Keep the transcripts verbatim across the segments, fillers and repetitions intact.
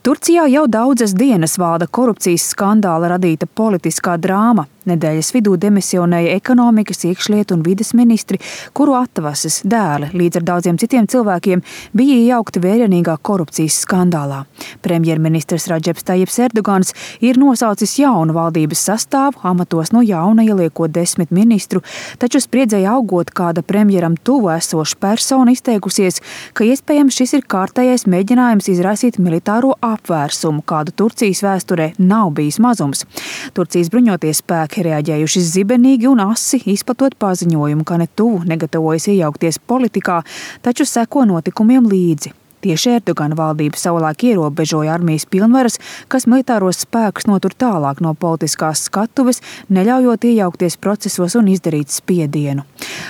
Turcijā jau daudzas dienas valda korupcijas skandāla radīta politiskā drāma. Nedēļas vidū demisionēja ekonomikas, iekšlietu un vides ministri, kuru atvases dēli līdz ar daudziem citiem cilvēkiem bija iejaukti vērienīgā korupcijas skandālā. Premjerministrs Radžeps Tajips Erdogans ir nosaucis jaunu valdības sastāvu, amatos no jauna ieliekot desmit ministru, taču spriedzei augot, kāda premjeram tuvu esoša persona izteikusies, ka iespējams šis ir kārtējais mēģinājums izraisīt militāro apvērsumu, kādu Turcijas vēsturē nav bijis mazums. Turcijas bruņoties spēki reaģējuši zibenīgi un asi, izplatot paziņojumu, ka ne tuvu negatavojas iejaukties politikā, taču seko notikumiem līdzi. Tieši Erdogana valdība savulaik ierobežoja armijas pilnvaras, kas militāros spēkus notur tālāk no politiskās skatuves, neļaujot iejaukties procesos un izdarīt spiedienu.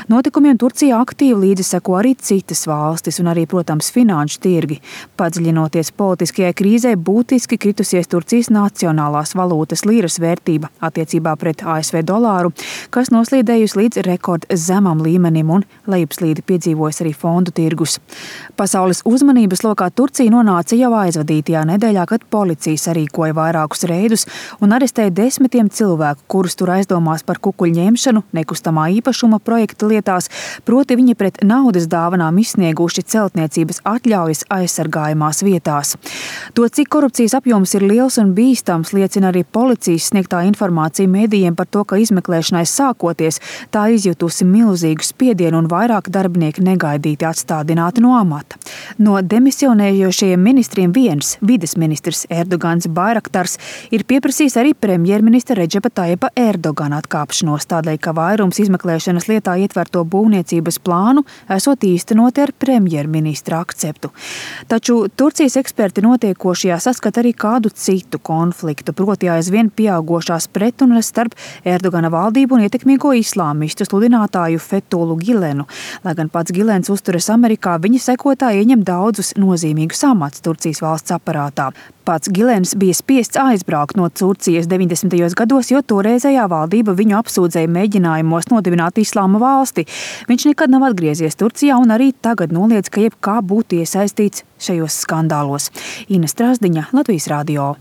Notikumiem Turcijā aktīvi līdzi seko arī citas valstis un arī, protams, finanšu tirgi. Padziļinoties politiskajai krīzē, būtiski kritusies Turcijas nacionālās valūtas līras vērtība attiecībā pret A S V dolāru, kas noslīdējusi līdz rekord zemam līmenim un lejupslīdi piedzīvojas arī fondu tirgus. Pasaules uzmanības lokā Turcija nonāca jau aizvadītajā nedēļā, kad policija sarīkoja vairākus reidus un arestēja desmitiem cilvēku, kurus tur aizdomās par kukuļu ņemšanu nekustamā īpašuma projekta lietās, proti viņi pret naudas dāvanām izsnieguši celtniecības atļaujas aizsargājumās vietās. To, cik korupcijas apjoms ir liels un bīstams, liecina arī policijas sniegtā informācija medijiem par to, ka izmeklēšanai sākoties tā izjutusi milzīgu spiedienu un vairāk darbinieki negaidīti atstādināti no amata. No demisionējošajiem ministriem viens, vides ministrs Erdogans Bayraktars, ir pieprasījis arī premjerministra Redžepa Tajipa Erdogana atkāpšanos, tādēļ, ka vairums izmeklēšanas lietā ietverto būvniecības plānu esot īstenoti ar premjerministra akceptu. Taču Turcijas eksperti notiekošajā saskata arī kādu citu konfliktu, proti aizvien pieaugošās pretrunas starp Erdogana valdību un ietekmīgo islāmistu sludinātāju Fethulu Gilenu. Lai gan pats Gilens uzturas Amerikā, viņa sekotāji ieņem daudzus nozīmīgus amats Turcijas valsts aparātā. Pats Gilens bija spiests aizbraukt no Turcijas deviņdesmitajos gados, jo toreizējā valdība viņu apsūdzēja mēģinājumos nodibināt islāma valsti. Viņš nekad nav atgriezies Turcijā un arī tagad noliedz, ka jebkā būtu iesaistīts šajos skandālos. Ina Strasdiņa, Latvijas radio.